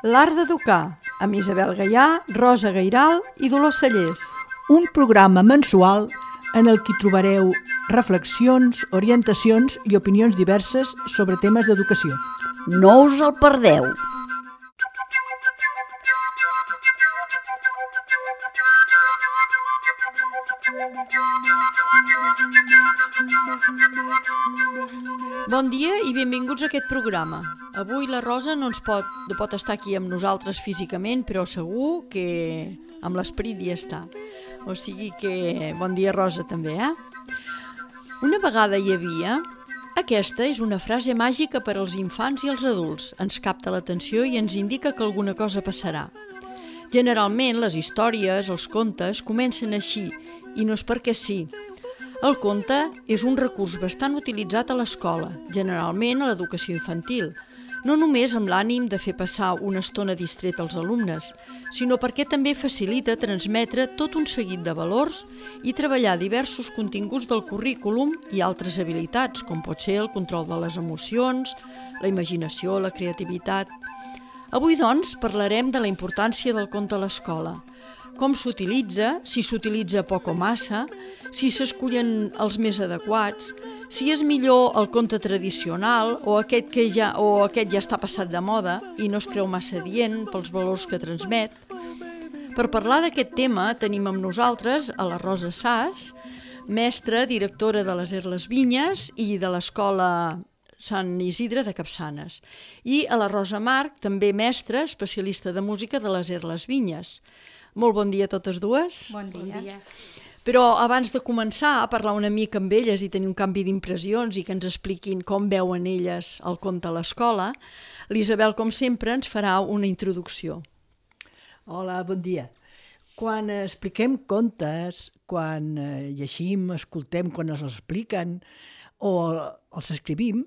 L'art d'educar, amb Isabel Gaià, Rosa Gairal i Dolors Cellers. Un programa mensual en el que trobareu reflexions, orientacions i opinions diverses sobre temes d'educació. No us el perdeu! Bon dia i benvinguts a aquest programa. Avui la Rosa no pot estar aquí amb nosaltres físicament, però segur que amb l'esperit hi està. O sigui que bon dia, Rosa, també, Una vegada hi havia... Aquesta és una frase màgica per als infants i als adults. Ens capta l'atenció i ens indica que alguna cosa passarà. Generalment, les històries, els contes, comencen així, i no és perquè sí. El conte és un recurs bastant utilitzat a l'escola, generalment a l'educació infantil, no només amb l'ànim de fer passar una estona distreta als alumnes, sinó perquè també facilita transmetre tot un seguit de valors i treballar diversos continguts del currículum i altres habilitats, com pot ser el control de les emocions, la imaginació, la creativitat. Avui, doncs, parlarem de la importància del conte a l'escola, com s'utilitza, si s'utilitza poc o massa, si s'escullen els més adequats, si és millor el conte tradicional o aquest ja està passat de moda i no es creu massa adient pels valors que transmet. Per parlar d'aquest tema tenim amb nosaltres a la Rosa Sas, mestra, directora de les Les Vinyes i de l'Escola Sant Isidre de Capçanes, i a la Rosa Marc, també mestra, especialista de música de les Vinyes. Molt bon dia a totes dues. Bon dia. Però abans de començar a parlar una mica amb elles i tenir un canvi d'impressions i que ens expliquin com veuen elles el conte a l'escola, l'Isabel, com sempre, ens farà una introducció. Hola, bon dia. Quan expliquem contes, quan llegim, escoltem, quan els expliquen o els escrivim,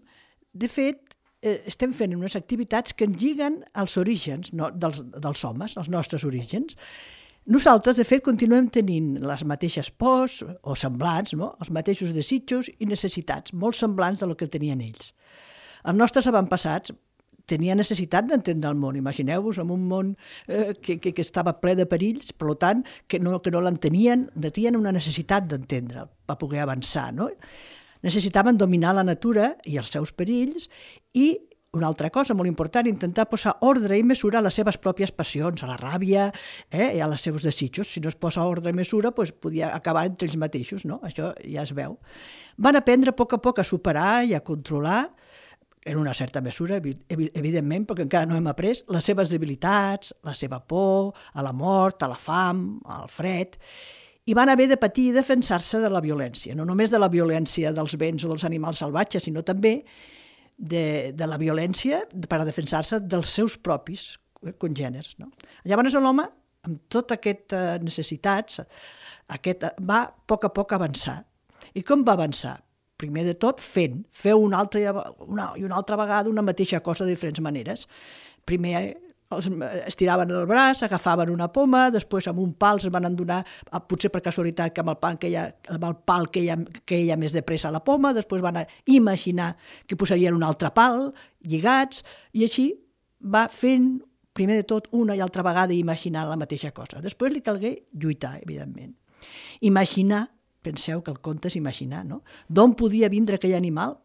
de fet, estem fent unes activitats que ens lliguen als orígens dels homes, als nostres orígens. Nosaltres, de fet, continuem tenint les mateixes pors o semblants, no? Els mateixos desitjos i necessitats, molt semblants del que tenien ells. Els nostres avantpassats tenien necessitat d'entendre el món. Imagineu-vos en un món que estava ple de perills, per tant, que no l'entenien, tenien una necessitat d'entendre per poder avançar, no? Necessitaven dominar la natura i els seus perills i una altra cosa molt important, intentar posar ordre i mesura a les seves pròpies passions, a la ràbia i als seus desitjos. Si no es posa ordre i mesura, doncs podia acabar entre ells mateixos, no? Això ja es veu. Van aprendre a poc a superar i a controlar, en una certa mesura, evidentment, perquè encara no hem après, les seves debilitats, la seva por, a la mort, a la fam, al fred, i van haver de patir i defensar-se de la violència, no només de la violència dels béns o dels animals salvatges, sinó també de la violència per a defensar-se dels seus propis congèneres. No? Llavors l'home, amb totes aquestes necessitats, va a poc avançar. I com va avançar? Primer de tot fent, fer una altra vegada una mateixa cosa de diferents maneres. Primer estiraven el braç, agafaven una poma, després amb un pal es van endonar, potser per casualitat que amb el pal queia més de pressa a la poma, després van imaginar que posarien un altre pal, lligats, i així va fent, primer de tot, una i altra vegada imaginar la mateixa cosa. Després li calgué lluitar, evidentment. Imaginar, penseu que el conte és imaginar, no? D'on podia vindre aquell animal?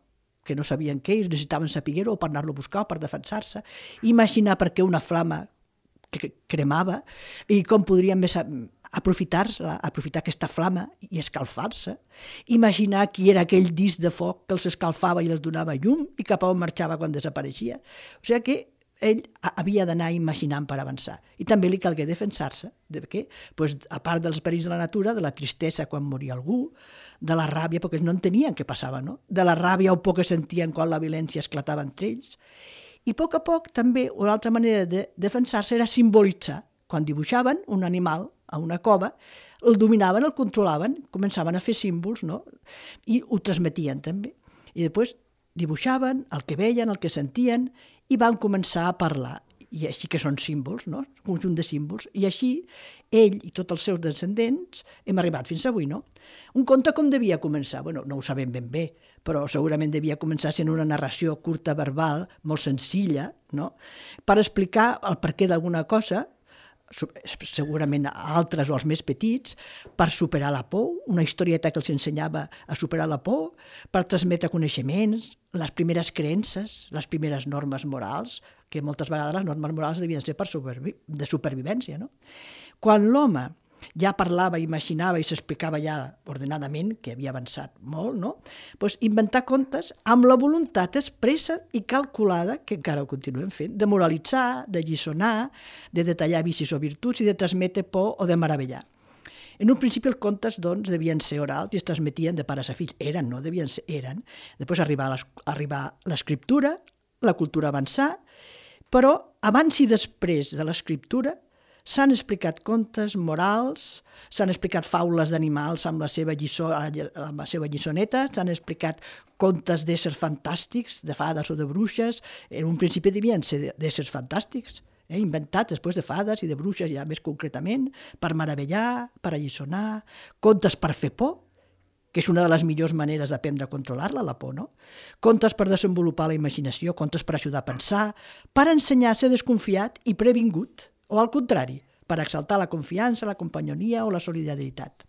Que no sabien què, i necessitaven saber-ho o per anar-lo a buscar o per defensar-se, imaginar per què una flama cremava i com podrien més aprofitar aquesta flama i escalfar-se, imaginar qui era aquell disc de foc que els escalfava i els donava llum i cap a on marxava quan desapareixia. O sigui que ell havia d'anar imaginant per avançar. I també li calgué defensar-se. De què? Pues, a part dels perills de la natura, de la tristesa quan moria algú, de la ràbia, perquè no entenien què passava, no? De la ràbia o por que sentien quan la violència esclatava entre ells. I a poc també, una altra manera de defensar-se era simbolitzar. Quan dibuixaven un animal a una cova, el dominaven, el controlaven, començaven a fer símbols, no? I ho transmetien també. I després dibuixaven el que veien, el que sentien, i van començar a parlar, i així que són símbols, no? Un conjunt de símbols, i així ell i tots els seus descendents hem arribat fins avui, no? Un conte com devia començar? Bueno, no ho sabem ben bé, però segurament devia començar sent una narració curta verbal, molt senzilla, no? Per explicar el perquè d'alguna cosa, segurament altres o els més petits, per superar la por, una historieta que els ensenyava a superar la por, per transmetre coneixements, les primeres creences, les primeres normes morals, que moltes vegades les normes morals devien ser de supervivència. No? Quan l'home ja parlava, imaginava i s'explicava ja ordenadament, que havia avançat molt, no? Doncs inventar contes amb la voluntat expressa i calculada, que encara ho continuem fent, de moralitzar, de lliçonar, de detallar vicis o virtuts i de transmetre por o de meravellar. En un principi els contes doncs, devien ser orals i es transmetien de pares a fills. Eren, no devien ser, eren. Després arribar l'escriptura, la cultura avançar, però abans i després de l'escriptura s'han explicat contes morals, s'han explicat faules d'animals amb la seva lliçoneta, s'han explicat contes d'éssers fantàstics, de fades o de bruixes. En un principi devien ser d'éssers fantàstics, inventats després de fades i de bruixes ja més concretament, per meravellar, per alliçonar, contes per fer por, que és una de les millors maneres d'aprendre a controlar-la, la por, no? Contes per desenvolupar la imaginació, contes per ajudar a pensar, per ensenyar a ser desconfiat i previngut, o al contrari, per exaltar la confiança, la companyonia o la solidaritat.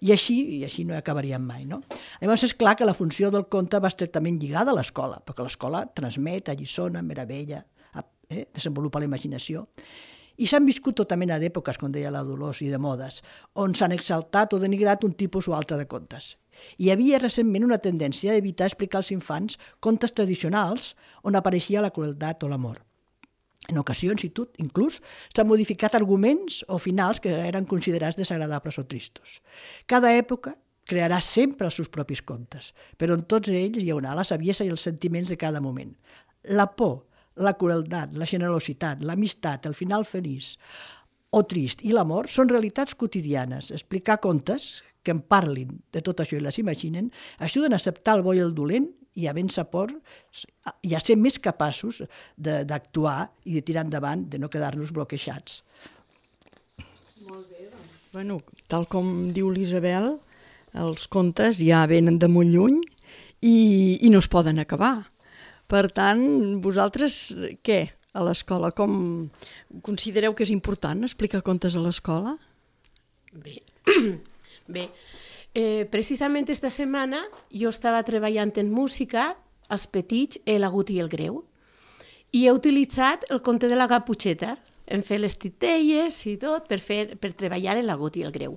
I així no acabaríem mai. No? Llavors és clar que la funció del conte va estretament lligada a l'escola, perquè l'escola transmet, alliçona, meravella, desenvolupa la imaginació. I s'han viscut tota mena d'èpoques, com deia la Dolors, i de modes, on s'han exaltat o denigrat un tipus o altre de contes. Hi havia recentment una tendència a evitar explicar als infants contes tradicionals on apareixia la crueltat o l'amor. En ocasions, inclús, s'han modificat arguments o finals que eren considerats desagradables o tristos. Cada època crearà sempre els seus propis contes, però en tots ells hi haurà la saviesa i els sentiments de cada moment. La por, la crueltat, la generositat, l'amistat, el final feliç o trist i l'amor són realitats quotidianes. Explicar contes que en parlin de tot això i les imaginen ajuden a acceptar el bo i el dolent i a vèncer por i a ser més capaços d'actuar i de tirar endavant, de no quedar-nos bloquejats. Molt bé, doncs. Bueno, tal com diu l'Isabel, els contes ja venen de molt lluny i no es poden acabar. Per tant, vosaltres què a l'escola? Com considereu que és important explicar contes a l'escola? Bé, precisament esta setmana jo estava treballant en música als petits, l'agut i el greu, i he utilitzat el conte de la Caputxeta. Hem fet les titelles i tot per treballar l'agut i el greu.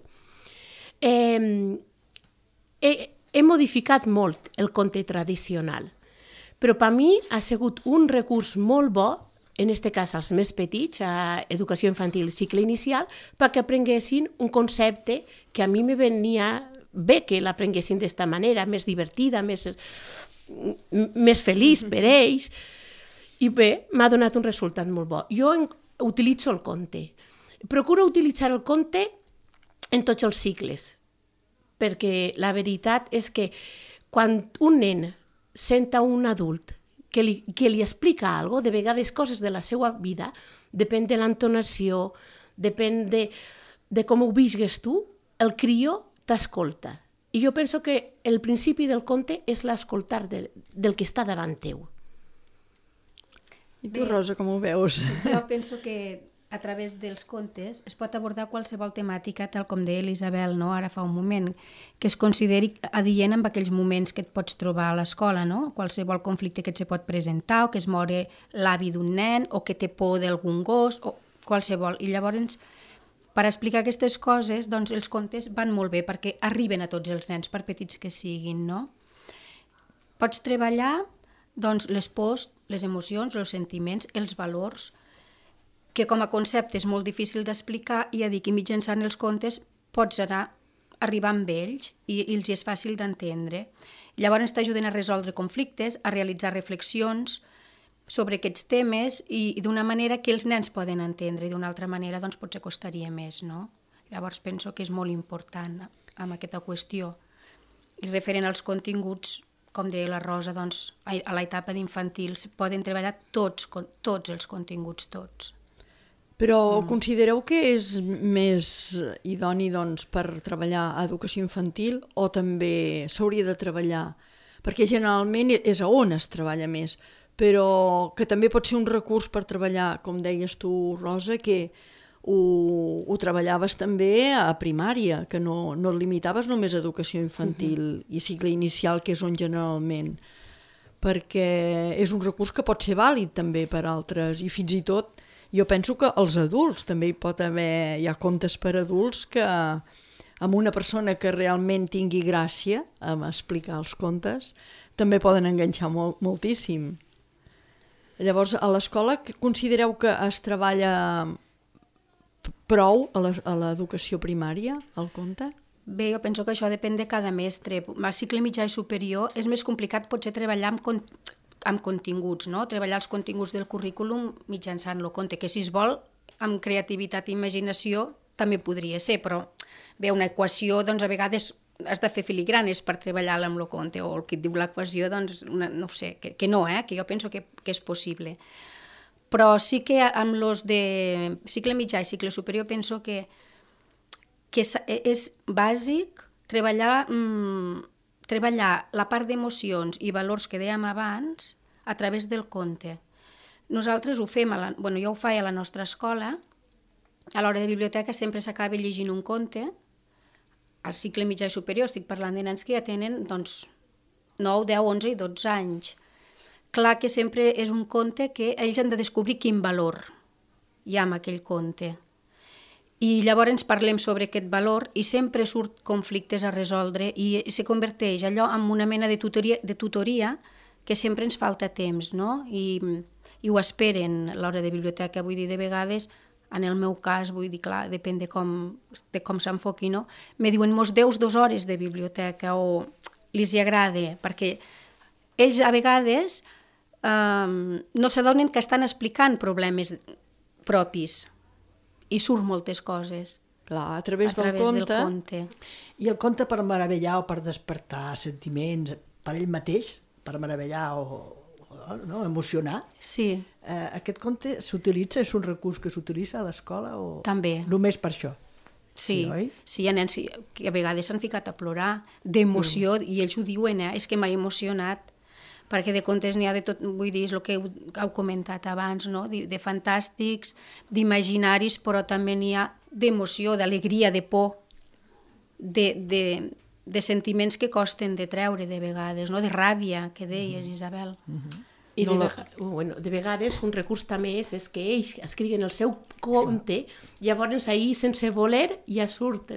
He modificat molt el conte tradicional, però per mi ha sigut un recurs molt bo, en aquest cas als més petits, a educació infantil cicle inicial, perquè aprenguessin un concepte que a mi me venia bé que l'aprenguessin d'esta manera, més divertida, més feliç per ells. I bé, m'ha donat un resultat molt bo. Jo utilitzo el conte. Procuro utilitzar el conte en tots els cicles, perquè la veritat és que quan un nen sent un adult que li explica alguna cosa, de vegades coses de la seva vida, depèn de l'entonació, depèn de com ho visgues tu, el crió t'escolta. I jo penso que el principi del conte és l'escoltar del que està davant teu. I tu, Rosa, com ho veus? Jo penso que a través dels contes es pot abordar qualsevol temàtica, tal com deia l'Isabel, no? Ara fa un moment, que es consideri adient amb aquells moments que et pots trobar a l'escola, no? Qualsevol conflicte que et se pot presentar, o que es mori l'avi d'un nen, o que té por d'algun gos, o qualsevol. I llavors, per explicar aquestes coses, doncs els contes van molt bé, perquè arriben a tots els nens, per petits que siguin, no? Pots treballar doncs, les pors, les emocions, els sentiments, els valors, que com a concepte és molt difícil d'explicar, i ja dic que mitjançant els contes pots arribar amb ells i els és fàcil d'entendre. Llavors t'ajuden a resoldre conflictes, a realitzar reflexions sobre aquests temes i d'una manera que els nens poden entendre, i d'una altra manera doncs, potser costaria més. No? Llavors penso que és molt important amb aquesta qüestió. I referent als continguts, com deia la Rosa, doncs, a l'etapa d'infantil poden treballar tots els continguts, tots. Però considereu que és més idoni doncs, per treballar a educació infantil o també s'hauria de treballar perquè generalment és on es treballa més, però que també pot ser un recurs per treballar, com deies tu, Rosa, que ho treballaves també a primària, que no et limitaves només a educació infantil i cicle inicial, que és on generalment, perquè és un recurs que pot ser vàlid també per altres, i fins i tot jo penso que els adults també hi ha contes per adults que amb una persona que realment tingui gràcia a explicar els contes també poden enganxar moltíssim. Llavors, a l'escola considereu que es treballa prou a l'educació primària, el conte? Bé, jo penso que això depèn de cada mestre. Al cicle mitjà i superior és més complicat potser treballar amb continguts, no? Treballar els continguts del currículum mitjançant el conte, que si es vol, amb creativitat i imaginació també podria ser, però bé, una equació, doncs a vegades has de fer filigranes per treballar-la amb el conte, o el que et diu l'equació, doncs no ho sé, que no, que jo penso que és possible. Però sí que amb els de cicle mitjà i cicle superior penso que és bàsic treballar la part d'emocions i valors que dèiem abans a través del conte. Nosaltres ho fem, jo ho faig a la nostra escola, a l'hora de biblioteca sempre s'acaba llegint un conte. Al cicle mitjà i superior estic parlant de nens que ja tenen 9, 10, 11 i 12 anys. Clar que sempre és un conte que ells han de descobrir quin valor hi ha en aquell conte. I llavors parlem sobre aquest valor i sempre surt conflictes a resoldre i se converteix allò en una mena de tutoria que sempre ens falta temps, no? I ho esperen a l'hora de biblioteca. Vull dir, de vegades, en el meu cas, vull dir, clar, depèn de com s'enfoqui, no? Me diuen, mos deus 2 hores de biblioteca o els hi agrada, perquè ells a vegades no s'adonen que estan explicant problemes propis i surt moltes coses Clar, a través del conte. I el conte per meravellar o per despertar sentiments per ell mateix, per meravellar o emocionar. Sí. Aquest conte s'utilitza, és un recurs que s'utilitza a l'escola o També. Només per això? Sí, oi? sí, hi ha nens que a vegades s'han ficat a plorar d'emoció i ells ho diuen, és que m'ha emocionat, perquè de contes n'hi ha de tot, vull dir, és el que heu comentat abans, no? De fantàstics, d'imaginaris, però també n'hi ha d'emoció, d'alegria, de por, de sentiments que costen de treure de vegades, no? De ràbia, que deies, Isabel. I de vegades un recurs també és que ells escriguen el seu conte, llavors ahir, sense voler, ja surt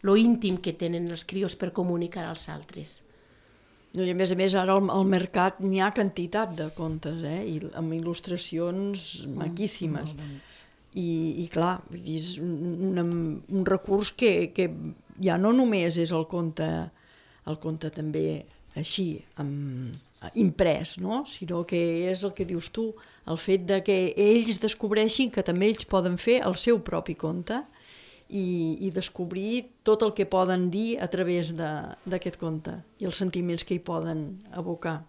lo íntim que tenen els crios per comunicar als altres. I a més, ara al mercat n'hi ha quantitat de contes, i amb il·lustracions maquíssimes. I clar, és un recurs que ja no només és el conte també així, imprès, no? Sinó que és el que dius tu, el fet de que ells descobreixin que també ells poden fer el seu propi conte i descobrir tot el que poden dir a través d'aquest conte i els sentiments que hi poden evocar.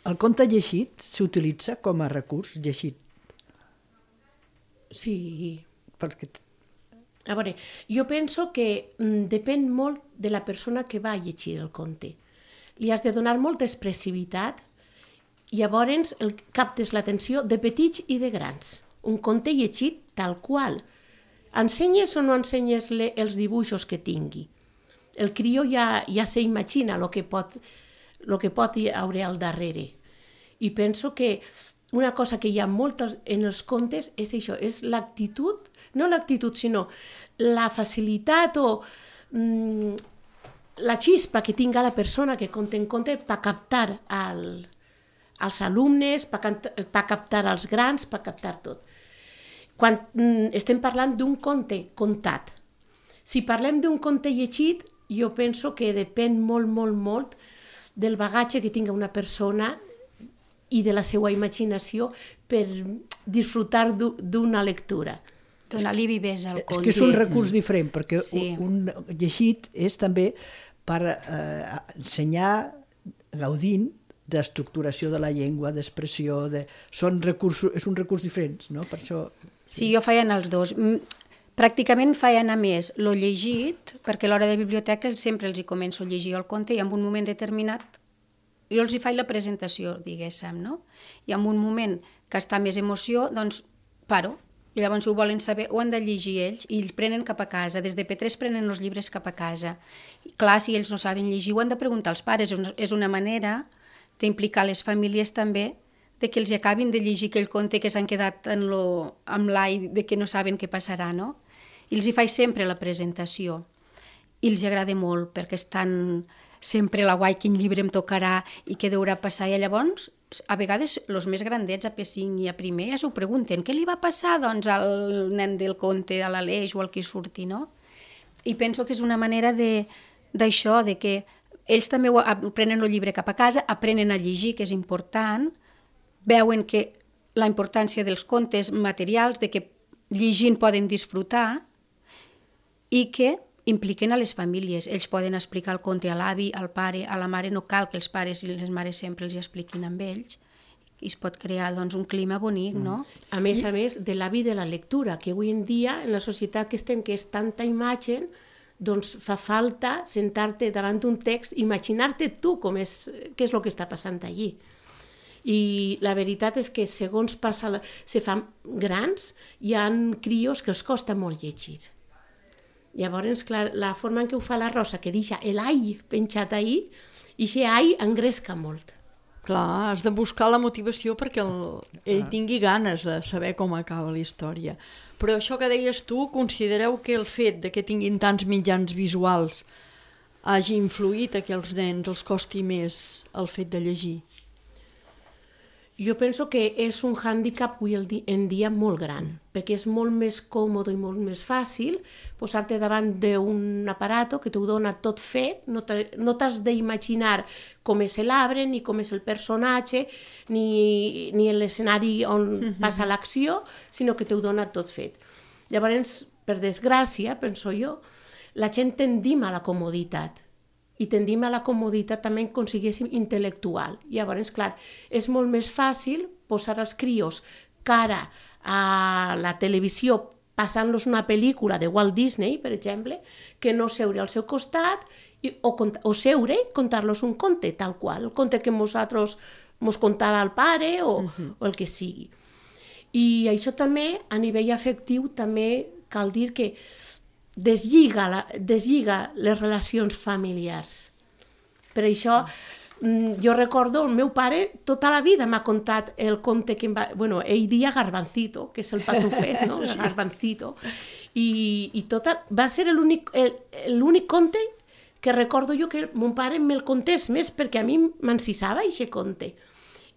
El conte llegit s'utilitza com a recurs llegit? Sí. Perquè... A veure, jo penso que depèn molt de la persona que va llegir el conte. Li has de donar molta expressivitat i llavors captes l'atenció de petits i de grans. Un conte llegit tal qual. Ensenyes o no ensenyes els dibuixos que tingui? El crió ja s'imagina el que pot haver al darrere. I penso que una cosa que hi ha molt en els contes és això, és l'actitud, no l'actitud, sinó la facilitat o la xispa que tinga la persona que conta en conte per captar als alumnes, per captar als grans, per captar tot. Quan estem parlant d'un conte contat. Si parlem d'un conte llegit, jo penso que depèn molt, molt, molt del bagatge que tinga una persona i de la seva imaginació per disfrutar d'una lectura. Donar-li vivesa al conte. És que és un recurs diferent, perquè un llegit és també per ensenyar gaudint d'estructuració de la llengua, d'expressió, és un recurs diferent, no? Per això... Sí, jo feia anar els dos. Pràcticament feia anar més lo llegit, perquè a l'hora de biblioteca sempre els hi començo a llegir el conte i en un moment determinat jo els hi faig la presentació, diguéssim, no? I en un moment que està més emoció, doncs paro. I llavors, si ho volen saber, ho han de llegir ells i ells prenen cap a casa. Des de P3 prenen els llibres cap a casa. I, clar, si ells no saben llegir, ho han de preguntar als pares. És una manera d'implicar les famílies també de que els acabin de llegir aquell conte que s'han quedat amb l'ai de que no saben què passarà, no? I els hi faig sempre la presentació. I els agrada molt perquè estan sempre la guai, quin llibre em tocarà i què deurà passar. I llavors, a vegades, els més grandets, a P5 i a primer, ja s'ho pregunten. Què li va passar, doncs, al nen del conte, a l'Aleix o al qui surti, no? I penso que és una manera d'això, de que ells també prenen el llibre cap a casa, aprenen a llegir, que és important, veuen que la importància dels contes materials, de que llegint poden disfrutar i que impliquen a les famílies. Ells poden explicar el conte a l'avi, al pare, a la mare. No cal que els pares i les mares sempre els expliquin amb ells. I es pot crear doncs, un clima bonic, no? A més, de l'avi de la lectura, que avui en dia, en la societat que estem, que és tanta imatge, doncs fa falta sentar-te davant d'un text, imaginar-te tu què és el que està passant allí. I la veritat és que segons se fan grans, hi ha crios que els costa molt llegir. Llavors, clar, la forma en què ho fa la Rosa, que deixa l'ai penjat ahí, i aquest ai engresca molt. Clar, has de buscar la motivació perquè ell tingui ganes de saber com acaba la història. Però això que deies tu, considereu que el fet de que tinguin tants mitjans visuals hagi influït a que als nens els costi més el fet de llegir? Jo penso que és un hàndicap avui en dia molt gran, perquè és molt més còmode i molt més fàcil posar-te davant d'un aparato que t'ho dona tot fet, no t'has d'imaginar com és l'arbre, ni com és el personatge, ni l'escenari on passa l'acció, sinó que t'ho dona tot fet. Llavors, per desgràcia, penso jo, la gent tendim a la comoditat, i tendim a la comoditat també com si siguéssim intel·lectual. Llavors, clar, és molt més fàcil posar els crios cara a la televisió passant-los una pel·lícula de Walt Disney, per exemple, que no seure al seu costat o seure i contar-los un conte, tal qual, el conte que nosaltres mos contava el pare o el que sigui. I això també, a nivell afectiu, també cal dir que deslliga les relacions familiars. Per això, jo recordo, el meu pare tota la vida m'ha contat el conte que em va... Bueno, ell dia Garbancito, que és el patufet, no? El Garbancito. I va ser l'únic conte que recordo jo que mon pare me'l contés més, perquè a mi m'encisava aquest conte.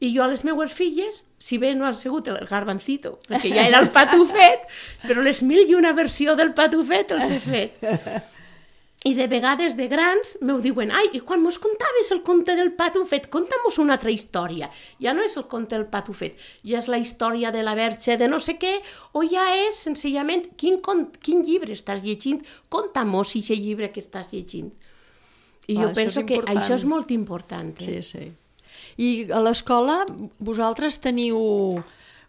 I jo a les meues filles, si bé no ha sigut el Garbancito, perquè ja era el patufet, però les 1001 versió del patufet els he fet. I de vegades de grans m'ho diuen, ai, i quan mos contaves el conte del patufet, conta'm-nos una altra història. Ja no és el conte del patufet, ja és la història de la Verge de no sé què, o ja és senzillament quin llibre estàs llegint, conta'm-nos aquest llibre que estàs llegint. I jo penso que això és molt important. Sí, sí. I a l'escola vosaltres teniu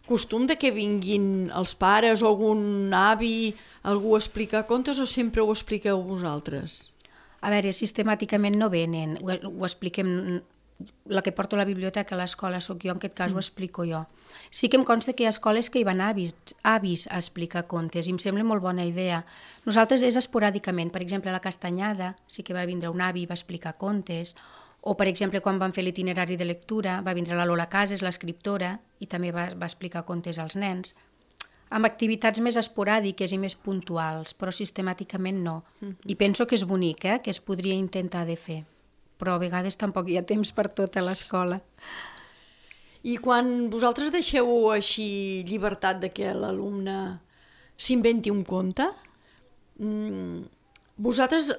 costum de que vinguin els pares o algun avi, algú a explicar contes, o sempre ho expliqueu vosaltres? A veure, sistemàticament no venen, ho expliquem, la que porto a la biblioteca a l'escola sóc jo, en aquest cas ho explico jo. Sí que em consta que hi ha escoles que hi van avis a explicar contes i em sembla molt bona idea. Nosaltres és esporàdicament, per exemple a la Castanyada sí que va vindre un avi i va explicar contes, o, per exemple, quan vam fer l'itinerari de lectura, va vindre la Lola Casas, l'escriptora, i també va explicar contes als nens, amb activitats més esporàdiques i més puntuals, però sistemàticament no. I penso que és bonic, que es podria intentar de fer, però a vegades tampoc hi ha temps per tot a l'escola. I quan vosaltres deixeu així llibertat de que l'alumne s'inventi un conte, vosaltres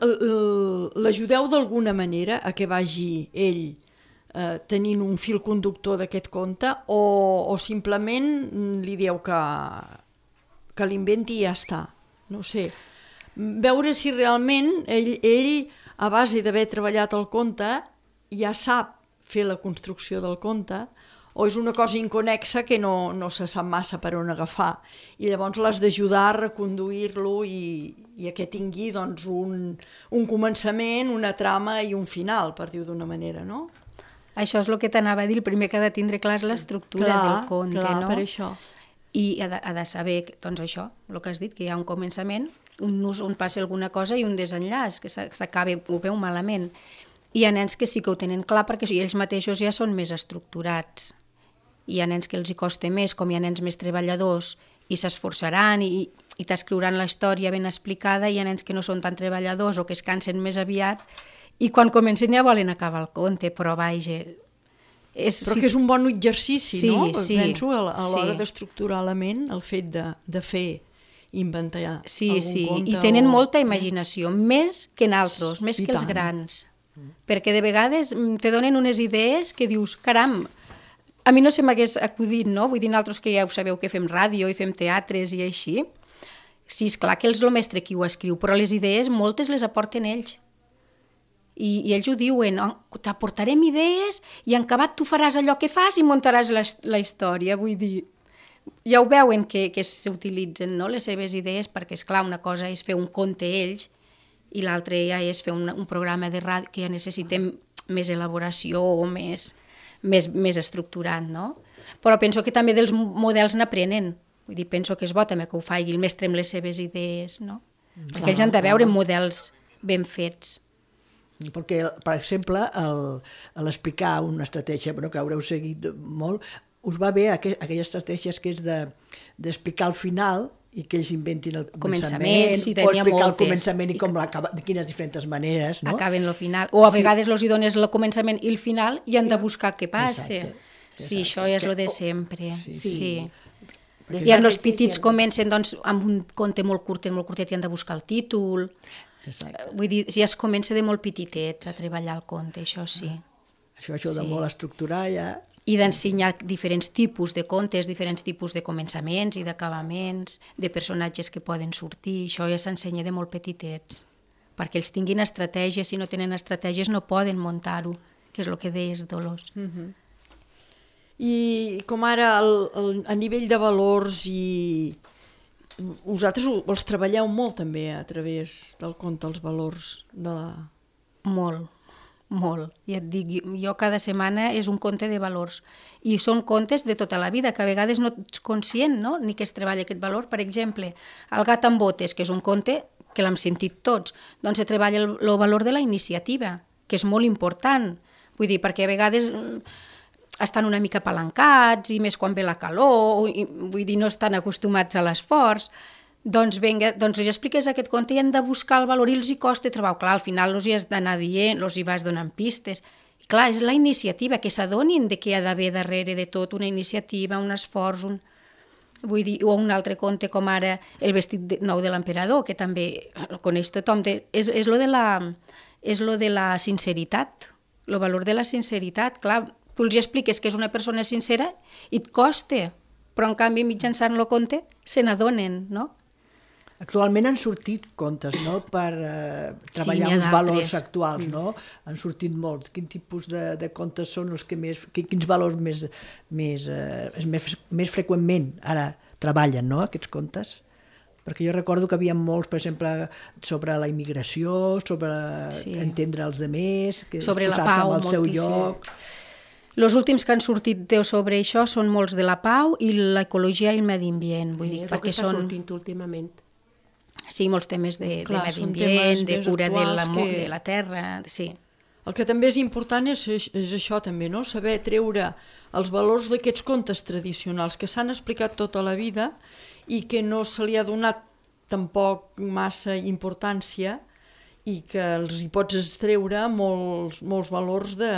l'ajudeu d'alguna manera a que vagi ell tenint un fil conductor d'aquest conte o simplement li dieu que l'inventi i ja està? No sé. Veure si realment ell a base d'haver treballat el conte, ja sap fer la construcció del conte, o és una cosa inconexa que no se sap massa per on agafar. I llavors l'has d'ajudar a reconduir-lo i a que tingui doncs, un començament, una trama i un final, per dir-ho d'una manera, no? A Això és el que t'anava a dir, el primer que ha de tindre clar és l'estructura del conte, clar, no? per això. I ha de saber, doncs això, el que has dit, que hi ha un començament, un nus on passa alguna cosa i un desenllaç, que s'acaba, ho veu malament. Hi ha nens que sí que ho tenen clar perquè ells mateixos ja són més estructurats. Hi ha nens que els hi costa més, com hi ha nens més treballadors i s'esforçaran i t'escriuran la història ben explicada, hi ha nens que no són tan treballadors o que es cansen més aviat i quan comencen ja volen acabar el conte, però vaja... Però que és un bon exercici, no? Sí, penso a l'hora d'estructurar la ment, el fet de fer, inventar algun conte. I tenen molta imaginació, més que en altres, més que els grans. Perquè de vegades te donen unes idees que dius, caram, a mi no se m'hagués acudit, no? Vull dir, nosaltres que ja ho sabeu que fem ràdio i fem teatres i així. Sí, esclar que és el mestre qui ho escriu, però les idees moltes les aporten ells. I ells ho diuen, t'aportarem idees i en acabat tu faràs allò que fas i muntaràs la història. Vull dir, ja ho veuen que s'utilitzen, no?, les seves idees, perquè, esclar, una cosa és fer un conte ells i l'altra ja és fer un programa de ràdio que ja necessitem més elaboració o més estructurat, no? Però penso que també dels models n'aprenen. Vull dir, penso que és bo també que ho faci el mestre amb les seves idees, no? Perquè ells han de veure models ben fets. Perquè, per exemple, a l'explicar una estratègia, però que haureu seguit molt, us va bé aquelles estratègies que és d'explicar al final i que ells inventin el començament, sí, o explicar moltes. El començament i com l'acaba, de quines diferents maneres, no? Acaben el final. O a vegades els hi dones el començament i el final i han de buscar què passa. Exacte. Sí, això és el de sempre. Sí. I els petits comencen doncs, amb un conte molt curtet i han de buscar el títol. Exacte. Vull dir, ja es comença de molt petitets a treballar el conte, això sí. Això de molt estructurar ja... I d'ensenyar diferents tipus de contes, diferents tipus de començaments i d'acabaments, de personatges que poden sortir, això ja s'ensenya de molt petitets, perquè ells tinguin estratègies, si no tenen estratègies no poden muntar-ho, que és el que deies, Dolors. I com ara a nivell de valors i... Vosaltres els treballeu molt també a través del conte, els valors de la... Molt. Ja et dic, jo cada setmana és un conte de valors. I són contes de tota la vida, que a vegades no ets conscient, no?, ni que es treballa aquest valor. Per exemple, El gat amb botes, que és un conte que l'hem sentit tots, doncs se treballa el valor de la iniciativa, que és molt important. Vull dir, perquè a vegades... estan una mica apalancats i més quan ve la calor, vull dir, no estan acostumats a l'esforç, doncs vinga, doncs ja expliques aquest conte i han de buscar el valor i els hi costa trobar. Clar, al final els hi has d'anar dient, els hi vas donant pistes. I clar, és la iniciativa, que s'adonin de què hi ha d'haver darrere de tot, una iniciativa, un esforç, vull dir, o un altre conte com ara El vestit nou de l'emperador, que també el coneix tothom, és lo de la sinceritat, el valor de la sinceritat, clar, tu els expliques que és una persona sincera i et costa, però en canvi mitjançant el conte se n'adonen, no? Actualment han sortit contes, no?, per treballar els valors actuals, no? Han sortit molts. Quin tipus de contes són els que més... Quins valors més freqüentment ara treballen, no?, aquests contes? Perquè jo recordo que havia molts, per exemple, sobre la immigració, sobre entendre els altres, sobre la pau, al seu lloc... Els últims que han sortit sobre això són molts de la pau i l'ecologia i el medi ambient, vull dir, perquè són... És el que està sortint últimament. Sí, molts temes de medi ambient, de cura de la terra, sí. El que també és important és això també, no?, saber treure els valors d'aquests contes tradicionals que s'han explicat tota la vida i que no se li ha donat tampoc massa importància i que els hi pots extreure molts valors de...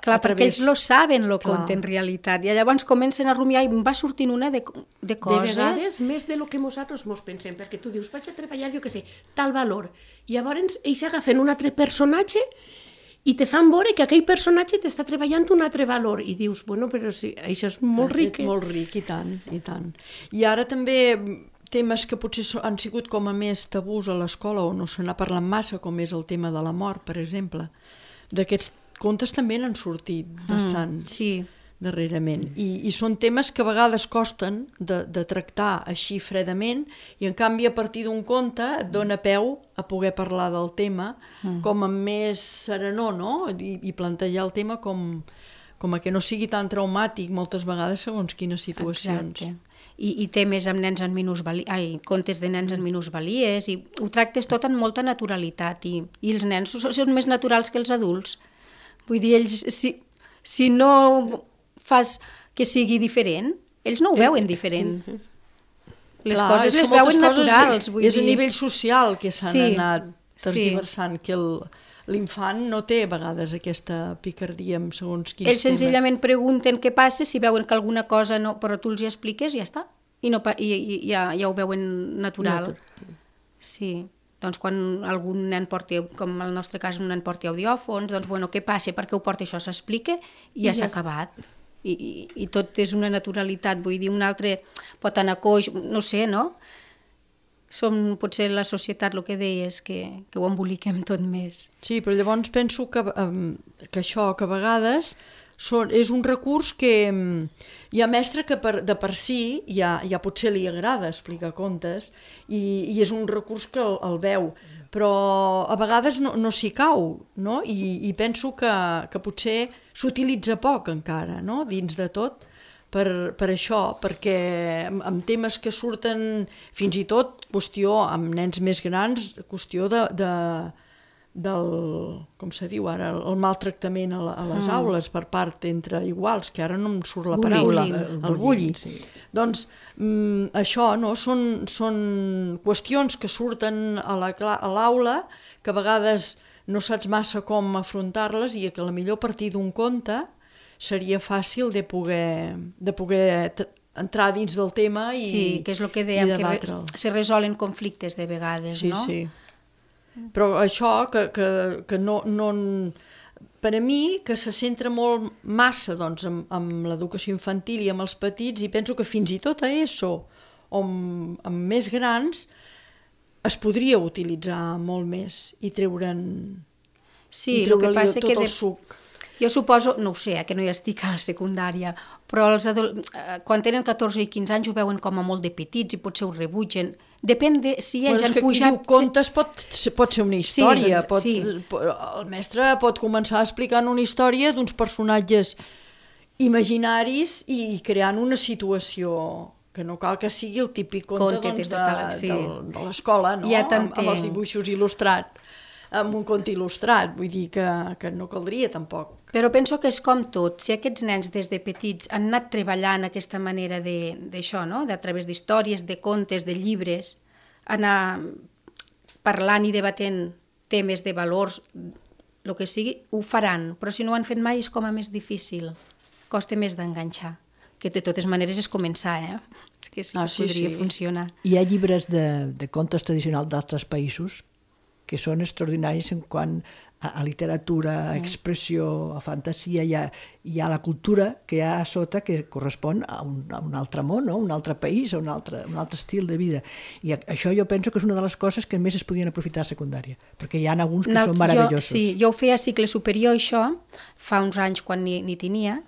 Clar, perquè ells lo saben, lo conte, en realitat. I llavors comencen a rumiar i va sortint una de coses... De vegades, més de lo que nosaltres mos pensem, perquè tu dius, vaig a treballar, jo què sé, tal valor. I llavors ells agafen un altre personatge i te fan veure que aquell personatge t'està treballant un altre valor. I dius, bueno, però sí, això és molt ric. Molt ric, i tant, i tant. I ara també... temes que potser han sigut com a més tabús a l'escola o no se n'ha parlat massa, com és el tema de la mort, per exemple. D'aquests contes també n'han sortit bastant darrerament. I són temes que a vegades costen de tractar així fredament i en canvi a partir d'un conte et dona peu a poder parlar del tema com amb més serenor, no? I plantejar el tema com com a que no sigui tan traumàtic moltes vegades segons quines situacions. Exacte. I temes amb nens en contes de nens en minusvalies, i ho tractes tot amb molta naturalitat, i els nens són més naturals que els adults. Vull dir, ells, si no fas que sigui diferent, ells no ho veuen diferent. Les coses les veuen naturals. És a nivell social que s'han anat tergiversant, que l'infant no té a vegades aquesta picardia amb segons quins temes. Ells senzillament pregunten què passa, si veuen que alguna cosa no... Però tu els hi expliques i ja està. I ja ho veuen natural. Sí. Doncs quan algun nen porti, com en el nostre cas un nen porti audiòfons, doncs bueno, què passa, per què ho porta això, s'explica i ja s'ha acabat. I tot és una naturalitat, vull dir, un altre pot anar coix, no sé, no? Potser la societat, el que deies, que ho emboliquem tot més. Sí, però llavors penso que això, que a vegades és un recurs que hi ha mestre que de per si ja potser li agrada explicar contes i és un recurs que el veu, però a vegades no s'hi cau, no? I penso que potser s'utilitza poc encara, no? Dins de tot, per això, perquè amb temes que surten fins i tot qüestió amb nens més grans, qüestió del, com se diu ara, el maltractament a les aules per part entre iguals, que ara no em surt la paraula, el bullying. Sí. Doncs això, no? Són qüestions que surten a l'aula que a vegades no saps massa com afrontar-les i que potser a partir d'un conte seria fàcil de poder entrar dins del tema i debatre'l. Sí, que és el que dèiem, que se resolen conflictes de vegades, no? Sí, sí. Però això que no... Per a mi, que se centra molt massa doncs, amb l'educació infantil i amb els petits, i penso que fins i tot a ESO o amb més grans es podria utilitzar molt més i treure'n... Sí, el que passa tot el suc. Jo suposo, no ho sé, que no hi estic a la secundària, però quan tenen 14 i 15 anys ho veuen com a molt de petits i potser ho rebutgen. Depèn de si ells han pujat... Diu, contes pot ser una història. El mestre pot començar explicant una història d'uns personatges imaginaris i creant una situació que no cal que sigui el típic conte de l'escola, no? Amb els dibuixos il·lustrats. Amb un conte il·lustrat, vull dir que no caldria tampoc. Però penso que és com tot, si aquests nens des de petits han anat treballant aquesta manera d'això, no? A través d'històries, de contes, de llibres, anar parlant i debatent temes de valors, el que sigui, ho faran, però si no ho han fet mai és com a més difícil, costa més d'enganxar, que de totes maneres és començar, És que sí que podria funcionar. Hi ha llibres de contes tradicionals d'altres països que són extraordinaris en quant a literatura, a expressió, a fantasia, hi ha la cultura que hi ha a sota que correspon a un altre món, no? Un altre país, a un altre estil de vida. I això jo penso que és una de les coses que més es podien aprofitar a secundària, perquè hi ha alguns que són meravellosos. Sí, jo ho feia a cicle superior, això, fa uns anys quan n'hi tenia,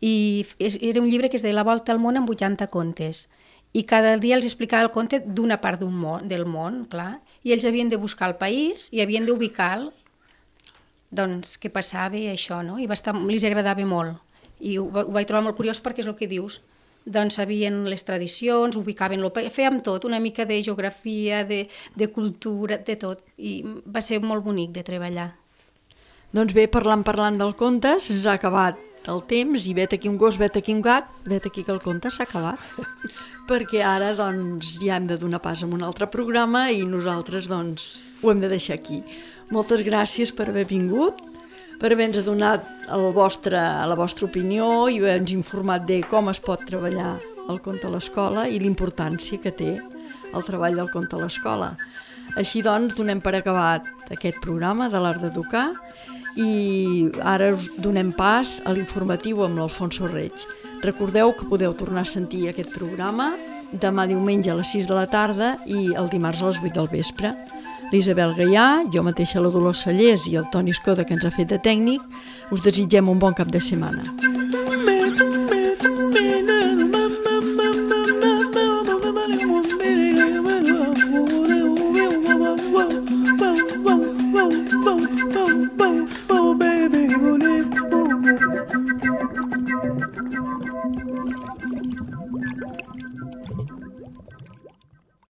i era un llibre que es deia La volta al món en 80 contes. I cada dia els explicava el conte d'una part del món, clar, i ells havien de buscar el país i havien d'ubicar doncs, què passava i això, no? I els agradava molt. I ho vaig trobar molt curiós perquè és el que dius. Doncs sabien les tradicions, ubicaven el país, fèiem tot, una mica de geografia, de cultura, de tot. I va ser molt bonic de treballar. Doncs bé, parlant del conte, se'ns ha acabat el temps i vet aquí un gos, vet aquí un gat, vet aquí que el conte s'ha acabat. Perquè ara doncs, ja hem de donar pas a un altre programa i nosaltres doncs, ho hem de deixar aquí. Moltes gràcies per haver vingut, per haver-nos donat la vostra opinió i haver-nos informat de com es pot treballar el conte a l'escola i l'importància que té el treball del conte a l'escola. Així doncs, donem per acabat aquest programa de l'Art d'Educar i ara us donem pas a l'informatiu amb l'Alfonso Reig. Recordeu que podeu tornar a sentir aquest programa demà diumenge a les 6 de la tarda i el dimarts a les 8 del vespre. L'Isabel Gaià, jo mateixa la Dolors Sallés i el Toni Escoda, que ens ha fet de tècnic, us desitgem un bon cap de setmana.